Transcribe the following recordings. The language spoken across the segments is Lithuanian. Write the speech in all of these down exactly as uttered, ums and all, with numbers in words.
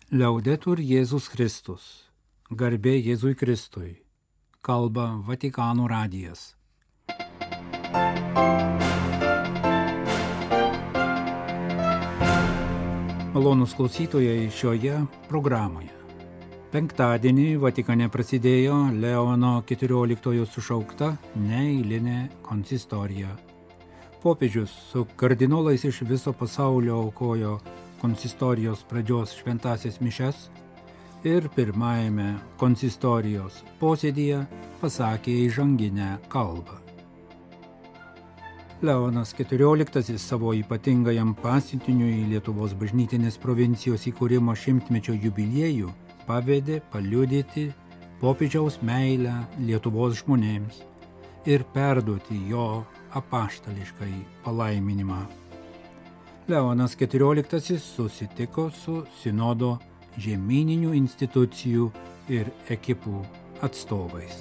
Liaudetur Jėzus Kristus. Garbė Jėzui Kristui. Kalba Vatikano radijas. Malonūs klausytojai šioje programoje. Penktadienį Vatikane prasidėjo Leono keturioliktojo sušaukta neeilinė konsistorija. Popiežius su kardinolais iš viso pasaulio aukojo konsistorijos pradžios šventąsias mišias ir pirmajame konsistorijos posėdyje pasakė įžanginę kalbą. Leonas keturioliktasis savo ypatingajam pasiuntiniui Lietuvos bažnytinės provincijos įkūrimo šimtmečio jubiliejų pavedė paliudyti popiežiaus meilę Lietuvos žmonėms ir perduoti jo apaštališkai palaiminimą. Leonas keturioliktasis susitiko su sinodo žemyninių institucijų ir ekipų atstovais.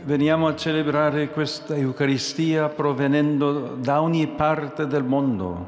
Veniamo a celebrare questa Eucaristia provenendo da ogni parte del mondo.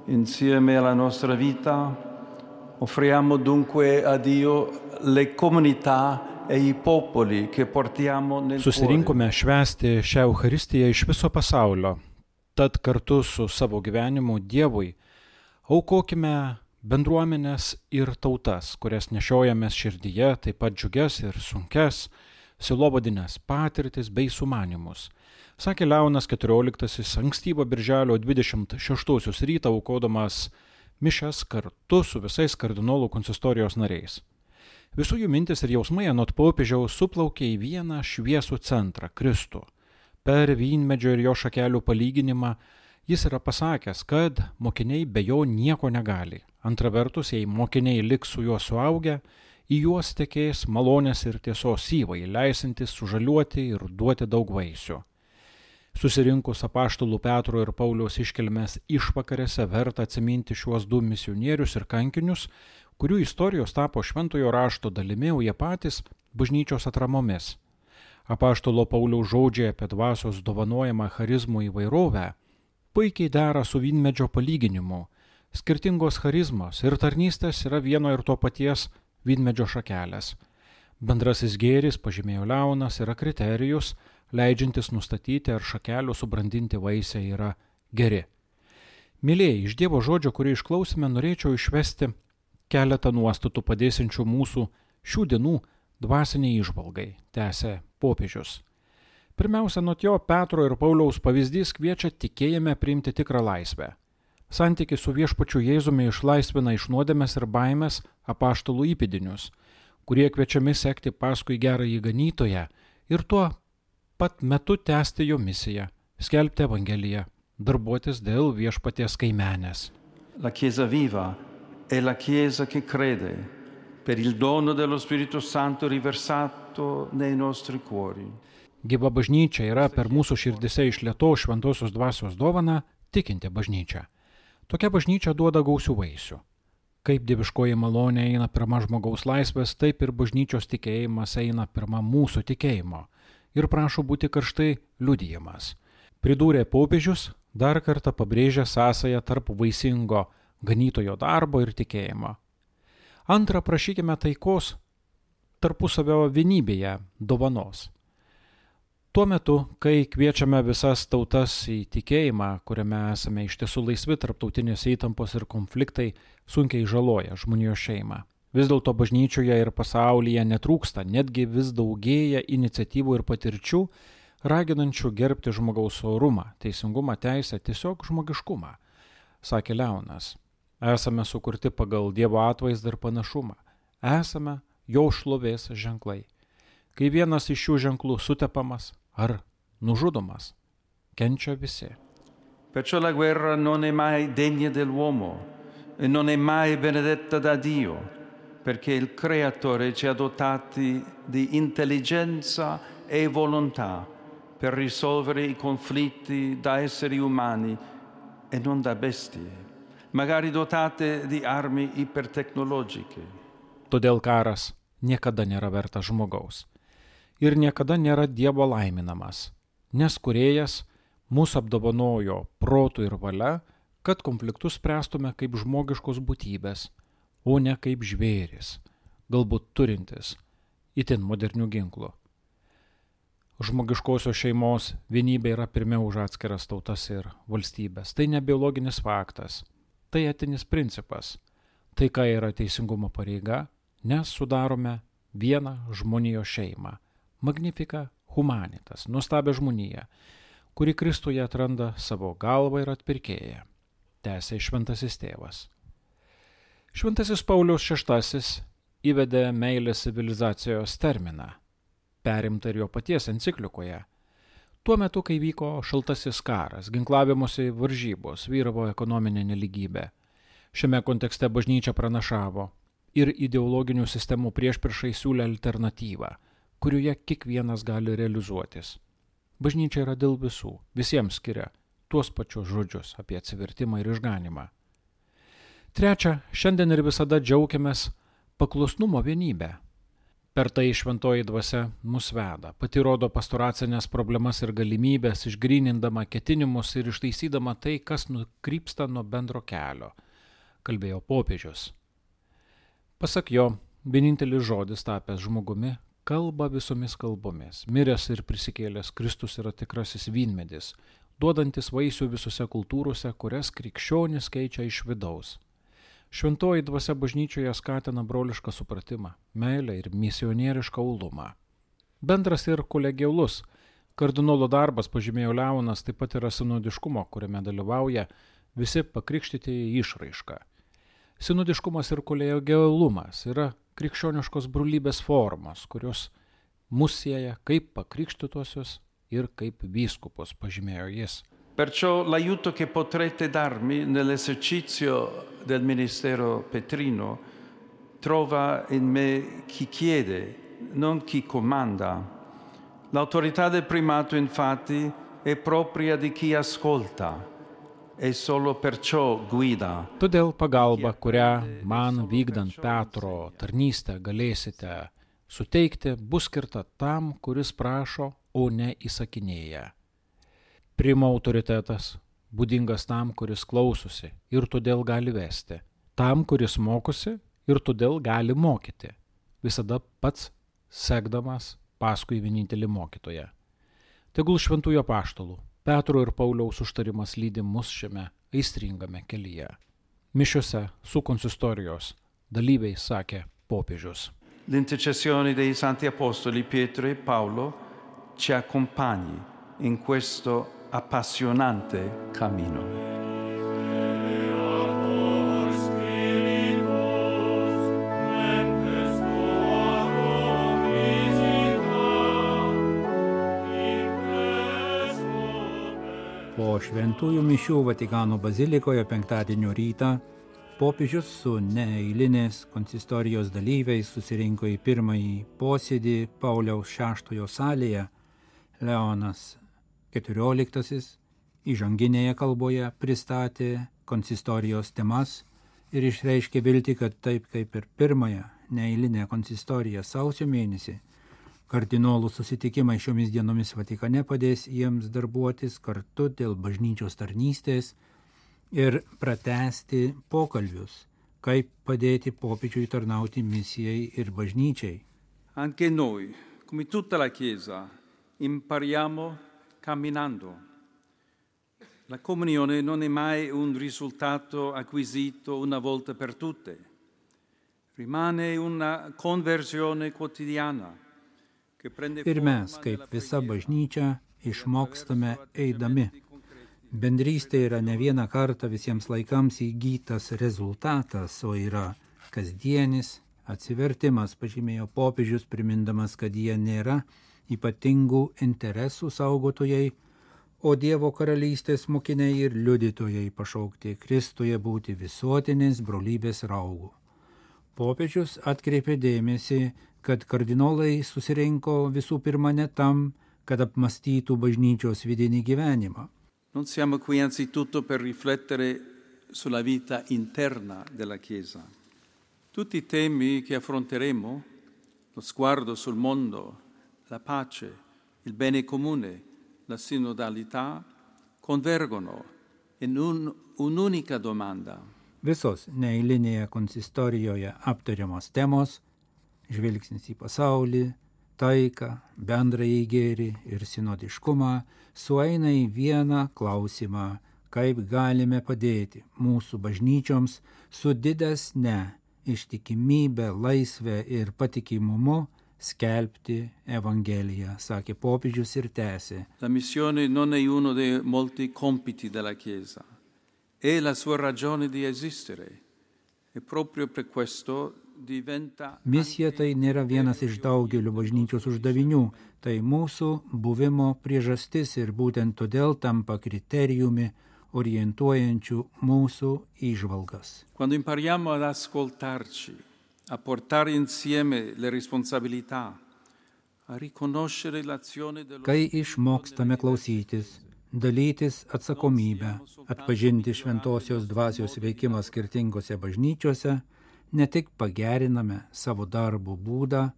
Insieme alla nostra vita offriamo dunque a Dio le comunità e i popoli che portiamo nel cuore. Susirinkome švęsti šią Eucharistiją iš viso pasaulio. Tad kartu su savo gyvenimu Dievui aukokime bendruomenės ir tautas, kurias nešiojamės širdyje, taip pat džiugias ir sunkes, sielovadines patirtis bei sumanymus. Sakė Leonas keturioliktasis ankstyvo birželio dvidešimt šeštosios rytą aukodamas mišias kartu su visais kardinolų konsistorijos nariais. Visų jų mintis ir jausmai anot popiežiaus suplaukė į vieną šviesų centrą – Kristų. Per vynmedžio ir jo šakelių palyginimą jis yra pasakęs, kad mokiniai be jo nieko negali. Antra vertus, jei mokiniai liks su juo suaugę, į juos tekės malonės ir tiesos syvai, leisantis sužaliuoti ir duoti daug vaisių. Susirinkus apaštalų Petro ir Pauliaus iškilmės išvakarėse verta atsiminti šiuos du misionierius ir kankinius, kurių istorijos tapo šventojo rašto dalimi, o jie patys bažnyčios atramomis. Apaštalo Pauliaus žodžiai apie dvasios dovanojamą charizmų įvairovę puikiai dera su vynmedžio palyginimu. Skirtingos charizmos ir tarnystės yra vieno ir to paties vynmedžio šakelės. Bendrasis gėris, pažymėjo Leonas, yra kriterijus, leidžiantis nustatyti, ar šakelių subrandinti vaisiai yra geri. Mylėjai, iš Dievo žodžio, kurį išklausime, norėčiau išvesti keletą nuostatų padėsiančių mūsų šių dienų dvasiniai įžvalgai, tęsė popiežius. Pirmiausia, nuo jo Petro ir Pauliaus pavyzdys kviečia tikėjime priimti tikrą laisvę. Santykis su viešpačiu Jėzumi išlaisvina iš nuodėmės ir baimės apaštalų įpėdinius, kurie kviečiami sekti paskui gerąjį ganytoją ir tuo pat metu tęsti jo misiją, skelbti evangeliją, darbuotis dėl viešpaties kaimenės. La Chiesa viva è la Chiesa che crede per il dono dello Spirito Santo riversato nei nostri cuori. Gyva bažnyčia yra per mūsų širdise išlietos šventosios dvasios dovaną tikinti bažnyčia. Tokia bažnyčia duoda gausių vaisių. Kaip dieviškoji malonė eina pirma žmogaus laisvės, taip ir bažnyčios tikėjimas eina pirma mūsų tikėjimo ir prašo būti karštai liudijamas. Pridūrė popiežius, dar kartą pabrėžė sąsają tarp vaisingo ganytojo darbo ir tikėjimo. Antra, prašykime taikos tarpusavio vienybėje dovanos. Tuo metu, kai kviečiame visas tautas į tikėjimą, kuriame esame iš tiesų laisvi, tarptautinės įtampos ir konfliktai sunkiai žaloja žmonijos šeimą. Vis dėlto bažnyčioje ir pasaulyje netrūksta, netgi vis daugėja iniciatyvų ir patirčių, raginančių gerbti žmogaus orumą, teisingumą, teisę, tiesiog žmogiškumą, sakė Leonas. Esame sukurti pagal Dievo atvaizdą ir panašumą. Esame jo šlovės ženklai. Kai vienas iš šių ženklų sutepamas ar nužudomas, kenčia visi. Perciò la guerra non è mai degna dell'uomo e non è mai benedetta da Dio, perché il Creatore ci ha dotati di intelligenza e volontà per risolvere i conflitti da esseri umani e non da bestie, magari dotate di armi ipertecnologiche. Todėl karas niekada nėra vertas žmogaus ir niekada nėra Dievo laiminamas, nes kūrėjas Mūsų apdovanojo protų ir valia, kad konfliktus spręstume kaip žmogiškos būtybės, o ne kaip žvėris, galbūt turintis itin modernių ginklų. Žmogiškosios šeimos vienybė yra pirmiau už atskiras tautas ir valstybės. Tai ne biologinis faktas, tai etinis principas. Taika yra teisingumo pareiga, nes sudarome vieną žmonijos šeimą. Magnifica humanitas, nuostabią žmoniją, kuri Kristuje atranda savo galvą ir atpirkėją. Tęsė šventasis tėvas. Šventasis Paulius šeštasis įvedė meilės civilizacijos terminą, perimtą ir jo paties enciklikoje. Tuo metu, kai vyko šaltasis karas, ginklavimosi varžybos, vyravo ekonominė nelygybė. Šiame kontekste bažnyčia pranašavo ir ideologinių sistemų priešpriešai siūlė alternatyvą, kurioje kiekvienas gali realizuotis. Bažnyčia yra dėl visų, visiems skiria tuos pačius žodžius apie atsivertimą ir išganimą. Trečia, šiandien ir visada džiaugiamės paklusnumo vienybę. Per tai šventoji dvasia mus veda, pati rodo pastoracinės problemas ir galimybės, išgrynindama ketinimus ir ištaisydama tai, kas nukrypsta nuo bendro kelio, kalbėjo popiežius. Pasak jo, vienintelis žodis tapęs žmogumi kalba visomis kalbomis. Miręs ir prisikėlęs Kristus yra tikrasis vynmedis, duodantis vaisių visose kultūrose, kurias krikščionis keičia iš vidaus. Šventoji dvasia bažnyčioje skatina brolišką supratimą, meilę ir misionierišką uolumą. Bendras ir kolegialus kardinolo darbas, pažymėjo Leonas, taip pat yra sinodiškumo, kuriame dalyvauja visi pakrikštytieji išraiška. Sinodiškumas ir kolegialumas yra krikščioniškos brolybės formos, kurios mus sieja kaip pakrikštytosius ir kaip vyskupus, pažymėjo jis. Perciò l'aiuto che potrete darmi nell'esercizio del ministero petrino trova in me chi chiede, non chi comanda. L'autorità del primato, infatti, è propria di chi ascolta e solo perciò guida. Todėl pagalba, kurią man vykdant Petro tarnystę galėsite suteikti, bus skirta tam, kuris prašo, o ne įsakinėja. Primo autoritetas būdingas tam, kuris klausosi ir todėl gali vesti, tam, kuris mokosi ir todėl gali mokyti, visada pats sekdamas paskui vienintelį mokytoją. Tegul šventųjų apaštalų, Petro ir Pauliaus užtarimas lydi mus šiame aistringame kelyje. Mišiose su konsistorijos dalyviai sakė popiežius. L'intercessione dei santi apostoli Pietro e Paolo ci accompagni in questo appassionante cammino. Po šventųjų mišių Vatikano bazilikoje penktadienio rytą popiežius su neeilinės konsistorijos dalyviais susirinko į pirmąjį posėdį Pauliaus šeštojo salėje. Leonas keturioliktasis įžanginėje kalboje pristatė konsistorijos temas ir išreiškė viltį, kad taip kaip ir pirmąją neeilinę konsistoriją sausio mėnesį, kardinolų susitikimai šiomis dienomis Vatikane padės jiems darbuotis kartu dėl bažnyčios tarnystės ir pratęsti pokalbius, kaip padėti popiežiui tarnauti misijai ir bažnyčiai. Anche noi, come tutta la Chiesa, impariamo camminando. La comunione non è mai un risultato acquisito una volta per tutte. Rimane una conversione quotidiana. Ir mes, kaip visa bažnyčia, išmokstame eidami. Bendrystė yra ne vieną kartą visiems laikams įgytas rezultatas, o yra kasdienis atsivertimas, pažymėjo popiežius, primindamas, kad jie nėra ypatingų interesų saugotojai, o Dievo karalystės mokiniai ir liudytojai pašaukti Kristuje būti visuotinės brolybės raugų. Popiežius atkreipė dėmesį, kad kardinolai susirinko visų pirma ne tam, kad apmastytų bažnyčios vidinį gyvenimą. Non siamo qui anzitutto per riflettere sulla vita interna della Chiesa. Tutti i temi che affronteremo, lo sguardo sul mondo, la pace, il bene comune, la sinodalità, convergono in un, un'unica domanda. Visos neeilinėje konsistorijoje aptariamos temos – žvilgsnis į pasaulį, taiką, bendrąjį gėrį ir sinodiškumą – sueina į vieną klausimą, kaip galime padėti mūsų bažnyčioms su didesne ištikimybė, laisvė ir patikimumu skelbti Evangeliją, sakė popiežius ir tęsė. La missione non è uno dei molti compiti della Chiesa, è la sua ragione di esistere e proprio per questo diventa... Misija tai nėra vienas iš daugelio bažnyčios uždavinių, tai mūsų buvimo priežastis ir būtent todėl tampa kriterijumi orientuojančių mūsų įžvalgas. Quando impariamo ad ascoltarci, a portare insieme le responsabilità, a riconoscere l'azione dello... Kai išmokstame klausytis, dalytis atsakomybę, atpažinti šventosios dvasios veikimą skirtingose bažnyčiose, ne tik pageriname savo darbo būdą,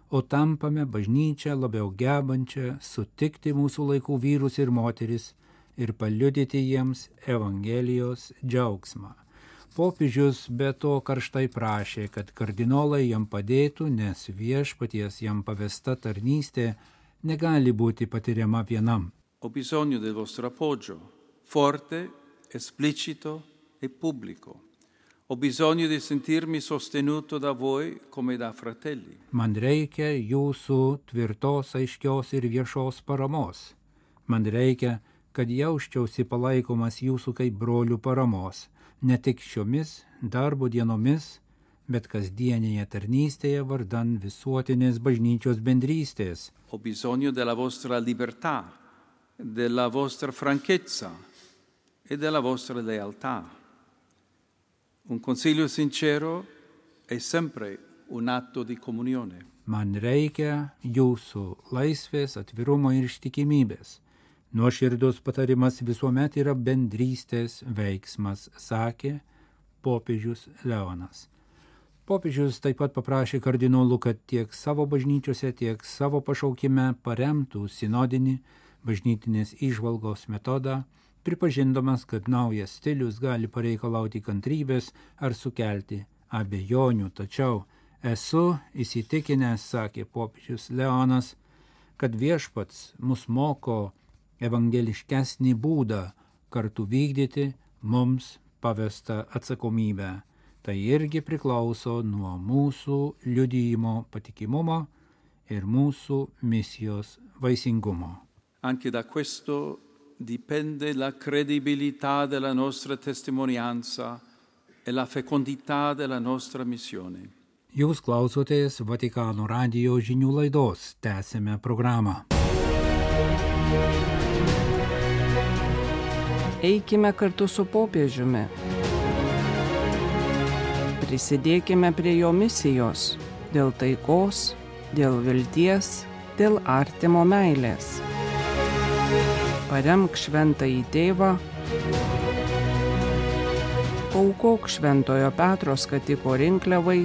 o tampame bažnyčią labiau gebančią sutikti mūsų laikų vyrus ir moteris ir paliudyti jiems Evangelijos džiaugsmą. Popiežius be to karštai prašė, kad kardinolai jam padėtų, nes viešpaties jam pavesta tarnystė negali būti patiriama vienam. Ho bisogno del vostro appoggio, forte, esplicito e pubblico. Ho bisogno di sentirmi sostenuto da voi come da fratelli. Man reikia jūsų tvirtos, aiškios ir viešos paramos. Man reikia, kad jausčiausi palaikomas jūsų kaip brolių paramos, ne tik šiomis darbo dienomis, bet kasdienėje tarnystėje vardan visuotinės bažnyčios bendrystės. Ho bisogno della vostra libertà, della vostra franchezza e della vostra lealtà. Un consiglio sincero è sempre un atto di comunione. Man reikia jūsų laisvės, atvirumo ir ištikimybės. Nuoširdus patarimas visuomet yra bendrystės veiksmas, sakė popiežius Leonas. Popiežius taip pat paprašė kardinolų, kad tiek savo bažnyčiose, tiek savo pašaukime paremtų sinodinį bažnytinės įžvalgos metodą, pripažindamas, kad naujas stilius gali pareikalauti kantrybės ar sukelti abejonių. Tačiau esu įsitikinęs, sakė popiežius Leonas, kad viešpats mus moko evangeliškesnį būdą kartu vykdyti mums pavestą atsakomybę. Tai irgi priklauso nuo mūsų liudijimo patikimumo ir mūsų misijos vaisingumo. Anche da questo dipende la credibilità della nostra testimonianza e la fecondità della nostra missione. Jūs klausotės Vatikano radijo žinių laidos, tęsime programą. Eikime kartu su popiežiumi. Prisidėkime prie jo misijos dėl taikos, dėl vilties, dėl artimo meilės. Paremk šventąjį tėvą, aukok Šventojo Petro skatiko rinkliavai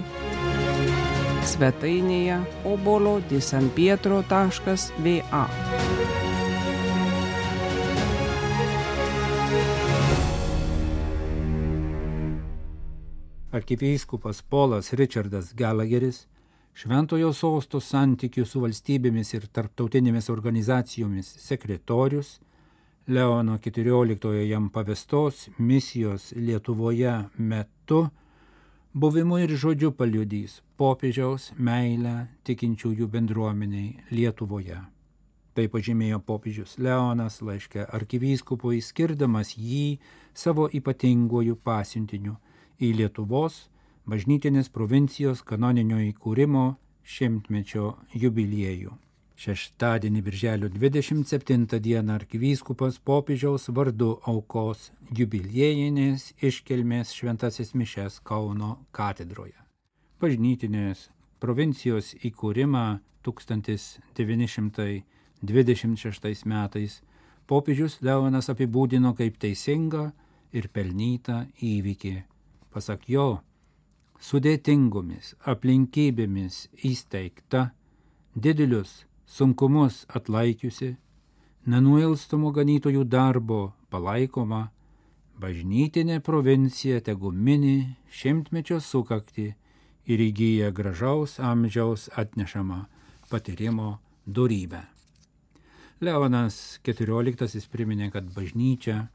svetainėje obolo di san pietro taškas va. Arkivyskupas Polas Richardas Gallagheris, Šventojo sosto santykių su valstybėmis ir tarptautinėmis organizacijomis sekretorius, Leono keturioliktojo jam pavestos misijos Lietuvoje metu, buvimu ir žodžiu paliudys popiežiaus meilę tikinčiųjų bendruomeniai Lietuvoje. Tai pažymėjo popiežius Leonas laiške arkivyskupui, skirdamas jį savo ypatinguoju pasiuntiniu į Lietuvos bažnytinės provincijos kanoninio įkūrimo šimtmečio jubiliejų. Šeštadienį birželio dvidešimt septintą dieną arkivyskupas popiežiaus vardu aukos jubiliejinės iškilmės šventasis mišias Kauno katedroje. Bažnytinės provincijos įkūrimą tūkstantis devyni šimtai dvidešimt šeštais metais popiežius Leonas apibūdino kaip teisingą ir pelnytą įvykį. Pasak jo, sudėtingomis aplinkybėmis įsteigta, didelius sunkumus atlaikiusi, nenuilstamo ganytojų darbo palaikoma, bažnytinė provincija tegu mini šimtmečio sukakti ir įgyja gražaus amžiaus atnešamą patyrimo dorybę. Leonas keturioliktasis priminė, kad bažnyčia,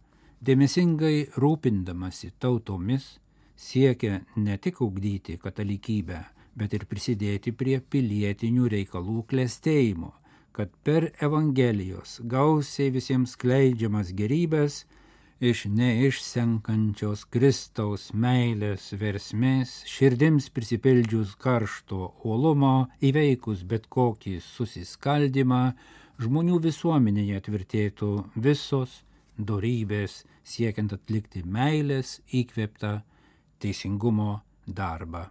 dėmesingai rūpindamasi tautomis, siekia ne tik ugdyti katalikybę, bet ir prisidėti prie pilietinių reikalų klestėjimo, kad per Evangelijos gausiai visiems skleidžiamas gerybės iš neišsenkančios Kristaus meilės versmės, širdims prisipildžius karšto uolumo, įveikus bet kokį susiskaldimą, žmonių visuomenėje tvirtėtų visos dorybės siekiant atlikti meilės įkvėptą teisingumo darbą.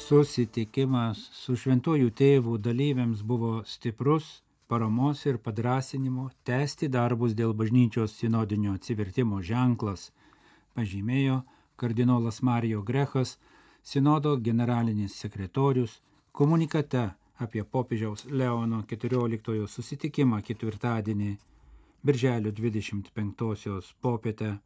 Susitikimas su šventuoju tėvu dalyviams buvo stiprus paramos ir padrasinimo tęsti darbus dėl bažnyčios sinodinio atsivertimo ženklas, pažymėjo kardinolas Mario Grechas, sinodo generalinis sekretorius, komunikate apie popiežiaus Leono keturioliktojo susitikimą ketvirtadienį, birželio dvidešimt penktosios popietę,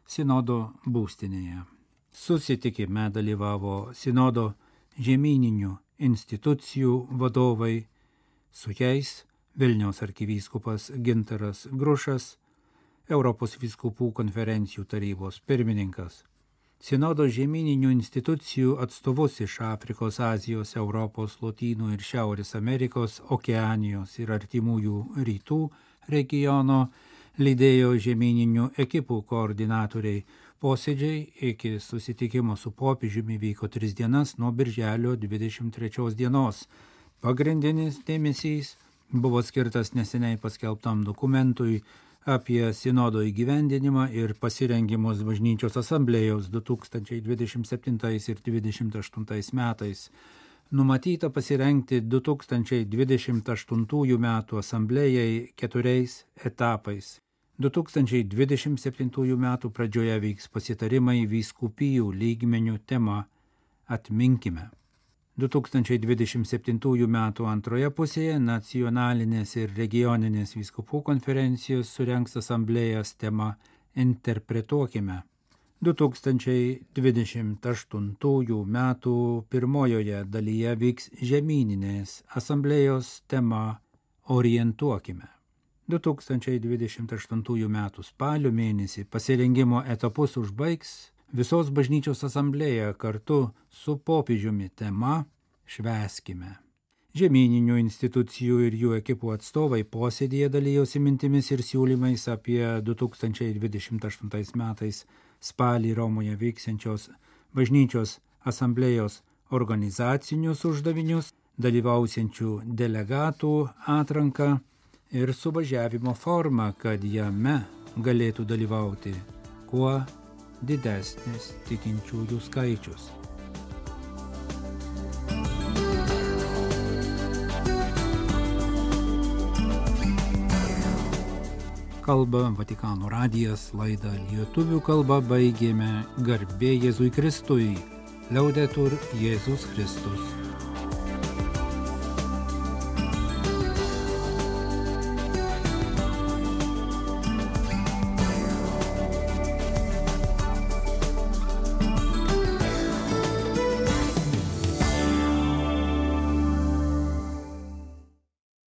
sinodo būstinėje. Susitikime dalyvavo sinodo žemyninių institucijų vadovai, su jais Vilniaus arkivyskupas Gintaras Grušas, Europos vyskupų konferencijų tarybos pirmininkas, sinodo žemyninių institucijų atstovus iš Afrikos, Azijos, Europos, Lotynų ir Šiaurės Amerikos, Okeanijos ir artimųjų rytų regiono lydėjo žemyninių ekipų koordinatoriai. Posėdžiai iki susitikimo su popiežiumi vyko tris dienas nuo birželio dvidešimt trečios dienos. Pagrindinis dėmesys buvo skirtas neseniai paskelbtam dokumentui apie sinodo įgyvendinimą ir pasirengimus bažnyčios asamblėjos du tūkstančiai dvidešimt septintais ir dvidešimt aštuntais metais. Numatyta pasirengti du tūkstančiai dvidešimt aštuntųjų metų asamblėjai keturiais etapais. du tūkstančiai dvidešimt septintųjų metų pradžioje vyks pasitarimai vyskupijų lygmenių tema Atminkime. du tūkstančiai dvidešimt septintųjų metų antroje pusėje nacionalinės ir regioninės vyskupų konferencijos surengs asamblėjas tema Interpretuokime. du tūkstančiai dvidešimt aštuntųjų metų pirmojoje dalyje vyks žemyninės asamblėjos tema Orientuokime. du tūkstančiai dvidešimt aštuntųjų metų spalio mėnesį pasirengimo etapus užbaigs visos bažnyčios asamblėja kartu su popiežiumi tema Švęskime. Žemyninių institucijų ir jų ekipų atstovai posėdėje dalijosi mintimis ir siūlymais apie du tūkstančiai dvidešimt aštuntais metais spalį Romoje vyksiančios bažnyčios asamblėjos organizacinius uždavinius, dalyvausiančių delegatų atranką ir suvažiavimo formą, kad jame galėtų dalyvauti kuo didesnis tikinčiųjų skaičius. Kalba Vatikano radijas, laidą lietuvių kalba baigėme. Garbė Jėzui Kristui. Liaudetur Jėzus Kristus.